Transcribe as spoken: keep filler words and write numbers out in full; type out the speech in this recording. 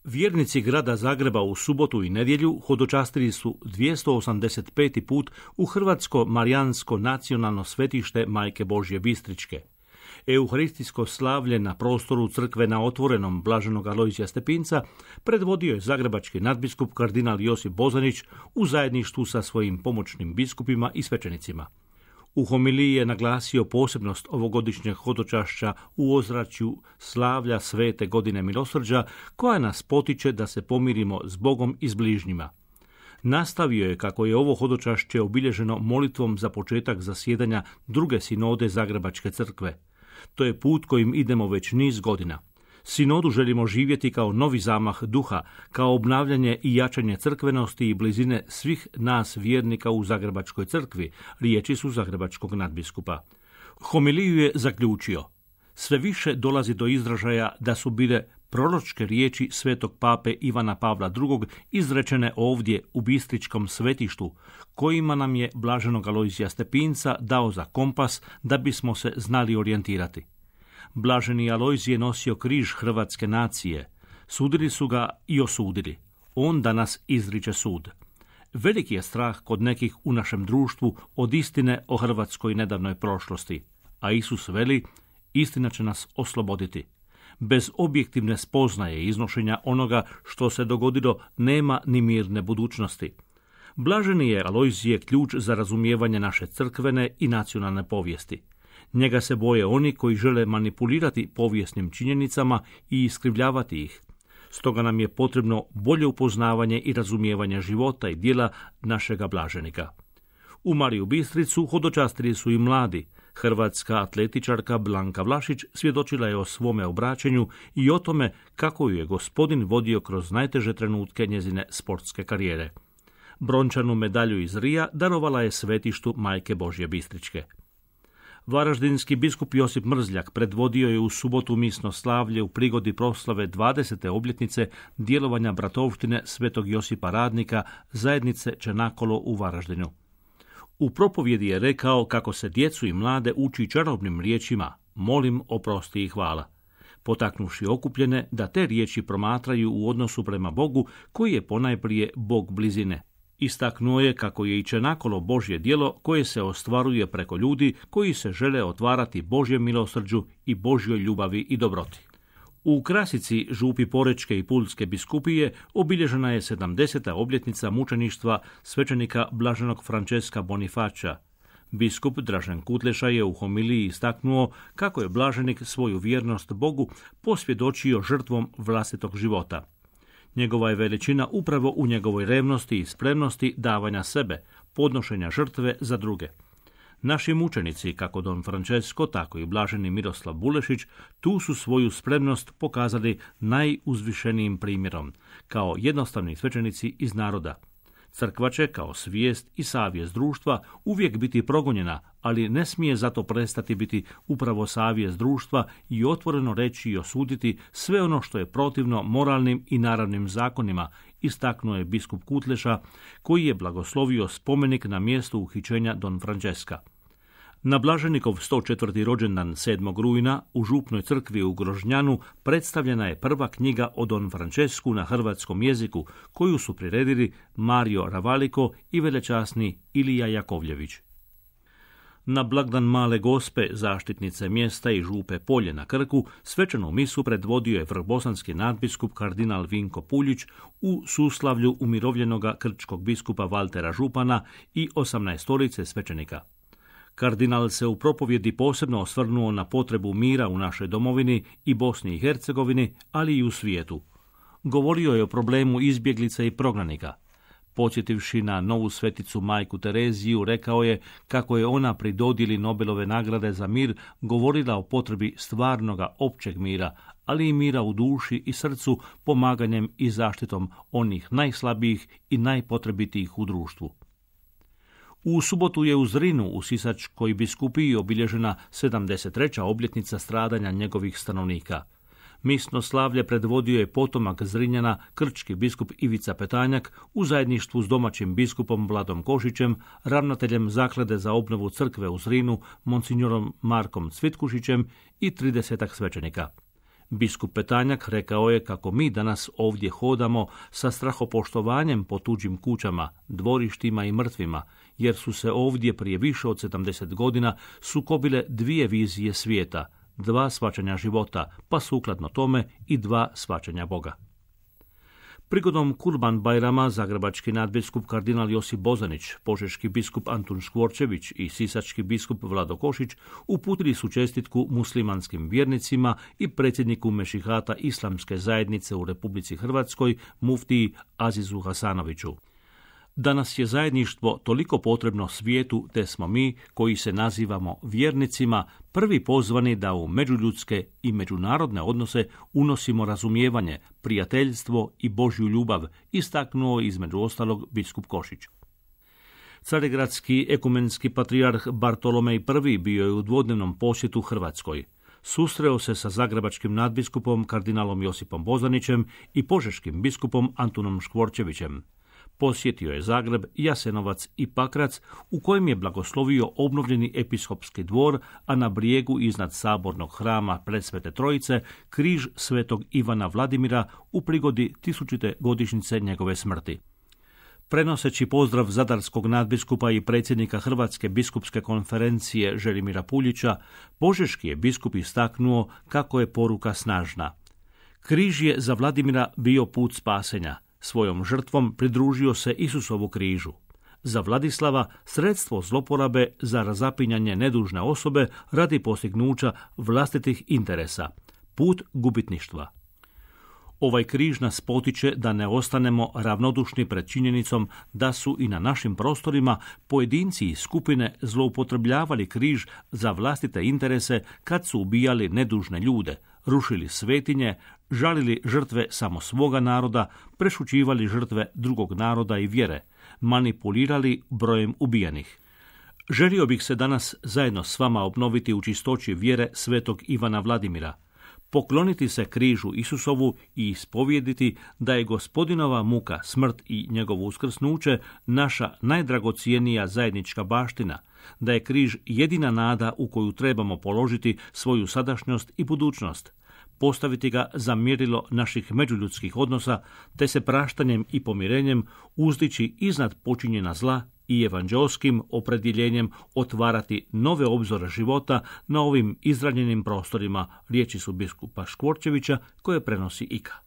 Vjernici grada Zagreba u subotu i nedjelju hodočastili su dvjesto osamdeset peti put u Hrvatsko marijansko nacionalno svetište Majke Božje Bistričke. Euharistijsko slavlje na prostoru crkve na otvorenom blaženog Alojzija Stepinca predvodio je zagrebački nadbiskup kardinal Josip Bozanić u zajedništvu sa svojim pomoćnim biskupima i svećenicima. U homiliji je naglasio posebnost ovogodišnjeg hodočašća u ozračju slavlja svete godine milosrđa, koja nas potiče da se pomirimo s Bogom i s bližnjima. Nastavio je kako je ovo hodočašće obilježeno molitvom za početak zasjedanja druge sinode Zagrebačke crkve. To je put kojim idemo već niz godina. Sinodu želimo živjeti kao novi zamah duha, kao obnavljanje i jačanje crkvenosti i blizine svih nas vjernika u Zagrebačkoj crkvi, riječi su zagrebačkog nadbiskupa. Homiliju je zaključio: sve više dolazi do izražaja da su bile proročke riječi svetog pape Ivana Pavla drugog izrečene ovdje u Bistričkom svetištu, kojima nam je blaženog Alojzija Stepinca dao za kompas da bismo se znali orijentirati. Blaženi Alojzije nosio križ hrvatske nacije. Sudili su ga i osudili. On danas izriče sud. Veliki je strah kod nekih u našem društvu od istine o hrvatskoj nedavnoj prošlosti. A Isus veli, istina će nas osloboditi. Bez objektivne spoznaje iznošenja onoga što se dogodilo nema ni mirne budućnosti. Blaženi je Alojzije ključ za razumijevanje naše crkvene i nacionalne povijesti. Njega se boje oni koji žele manipulirati povijesnim činjenicama i iskrivljavati ih. Stoga nam je potrebno bolje upoznavanje i razumijevanje života i djela našega blaženika. U Mariju Bistricu hodočastili su i mladi. Hrvatska atletičarka Blanka Vlašić svjedočila je o svome obraćenju i o tome kako ju je Gospodin vodio kroz najteže trenutke njezine sportske karijere. Brončanu medalju iz Rija darovala je svetištu Majke Božje Bistričke. Varaždinski biskup Josip Mrzljak predvodio je u subotu misno slavlje u prigodi proslave dvadesete obljetnice djelovanja bratovštine Svetog Josipa Radnika zajednice Čenakolo u Varaždinu. U propovjedi je rekao kako se djecu i mlade uči čarobnim riječima molim, oprosti i hvala, potaknuši okupljene da te riječi promatraju u odnosu prema Bogu koji je ponajprije Bog blizine. Istaknuo je kako je i Čenakolo Božje djelo koje se ostvaruje preko ljudi koji se žele otvarati Božjem milosrđu i Božjoj ljubavi i dobroti. U Krasici, župi Porečke i Pulske biskupije, obilježena je sedamdeseta obljetnica mučeništva svećenika blaženog Franceska Bonifaća. Biskup Dražen Kutleša je u homiliji istaknuo kako je blaženik svoju vjernost Bogu posvjedočio žrtvom vlastitog života. Njegova je veličina upravo u njegovoj revnosti i spremnosti davanja sebe, podnošenja žrtve za druge. Naši mučenici, kako don Francesco, tako i blaženi Miroslav Bulešić, tu su svoju spremnost pokazali najuzvišenijim primjerom, kao jednostavni svećenici iz naroda. Crkva će, kao svijest i savjest društva, uvijek biti progonjena, ali ne smije zato prestati biti upravo savjest društva i otvoreno reći i osuditi sve ono što je protivno moralnim i naravnim zakonima, istaknuo je biskup Kutleša, koji je blagoslovio spomenik na mjestu uhićenja don Francesca. Na blaženikov sto četvrti rođendan sedmog rujna u župnoj crkvi u Grožnjanu predstavljena je prva knjiga o don Francesku na hrvatskom jeziku, koju su priredili Mario Ravaliko i velečasni Ilija Jakovljević. Na blagdan Male Gospe, zaštitnice mjesta i župe Polje na Krku, svečanu misu predvodio je vrbosanski nadbiskup kardinal Vinko Puljić u suslavlju umirovljenoga krčkog biskupa Valtera Župana i osamnaestorice svećenika. Kardinal se u propovjedi posebno osvrnuo na potrebu mira u našoj domovini i Bosni i Hercegovini, ali i u svijetu. Govorio je o problemu izbjeglica i prognanika. Podsjetivši na novu sveticu majku Tereziju, rekao je kako je ona pri dodjeli Nobelove nagrade za mir govorila o potrebi stvarnoga općeg mira, ali i mira u duši i srcu, pomaganjem i zaštitom onih najslabijih i najpotrebitijih u društvu. U subotu je u Zrinu u Sisačkoj biskupiji obilježena sedamdeset treća obljetnica stradanja njegovih stanovnika. Misno slavlje predvodio je potomak Zrinjana, krčki biskup Ivica Petanjak, u zajedništvu s domaćim biskupom Vladom Košićem, ravnateljem Zaklade za obnovu crkve u Zrinu, monsignorom Markom Cvitkušićem i tridesetak svećenika. Biskup Petanjak rekao je kako mi danas ovdje hodamo sa strahopoštovanjem po tuđim kućama, dvorištima i mrtvima, jer su se ovdje prije više od sedamdeset godina sukobile dvije vizije svijeta, dva shvaćanja života, pa sukladno tome i dva shvaćanja Boga. Prigodom Kurban Bajrama zagrebački nadbiskup kardinal Josip Bozanić, požeški biskup Antun Škvorčević i sisački biskup Vlado Košić uputili su čestitku muslimanskim vjernicima i predsjedniku Mešihata Islamske zajednice u Republici Hrvatskoj, muftiji Azizu Hasanoviću. Danas je zajedništvo toliko potrebno svijetu, te smo mi, koji se nazivamo vjernicima, prvi pozvani da u međuljudske i međunarodne odnose unosimo razumijevanje, prijateljstvo i Božju ljubav, istaknuo između ostalog biskup Košić. Carigradski ekumenski patrijarh Bartolomej I bio je u dvodnevnom posjetu Hrvatskoj. Susreo se sa zagrebačkim nadbiskupom kardinalom Josipom Bozanićem i požeškim biskupom Antunom Škvorčevićem. Posjetio je Zagreb, Jasenovac i Pakrac, u kojem je blagoslovio obnovljeni episkopski dvor, a na brijegu iznad sabornog hrama Presvete Trojice križ svetog Ivana Vladimira u prigodi tisućite godišnjice njegove smrti. Prenoseći pozdrav zadarskog nadbiskupa i predsjednika Hrvatske biskupske konferencije Želimira Puljića, požeški je biskup istaknuo kako je poruka snažna. Križ je za Vladimira bio put spasenja. Svojom žrtvom pridružio se Isusovu križu. Za Vladislava sredstvo zloporabe za razapinjanje nedužne osobe radi postignuća vlastitih interesa. Put gubitništva. Ovaj križ nas potiče da ne ostanemo ravnodušni pred činjenicom da su i na našim prostorima pojedinci i skupine zloupotrebljavali križ za vlastite interese kad su ubijali nedužne ljude, rušili svetinje, žalili žrtve samo svoga naroda, prešućivali žrtve drugog naroda i vjere, manipulirali brojem ubijenih. Želio bih se danas zajedno s vama obnoviti u čistoći vjere svetog Ivana Vladimira, pokloniti se križu Isusovu i ispovijediti da je Gospodinova muka, smrt i njegovo uskrsnuće naša najdragocijenija zajednička baština, da je križ jedina nada u koju trebamo položiti svoju sadašnjost i budućnost, postaviti ga za mjerilo naših međuljudskih odnosa, te se praštanjem i pomirenjem uzdići iznad počinjena zla i evanđelskim opredjeljenjem otvarati nove obzore života na ovim izranjenim prostorima, riječi su biskupa Škvorčevića koje prenosi Ika.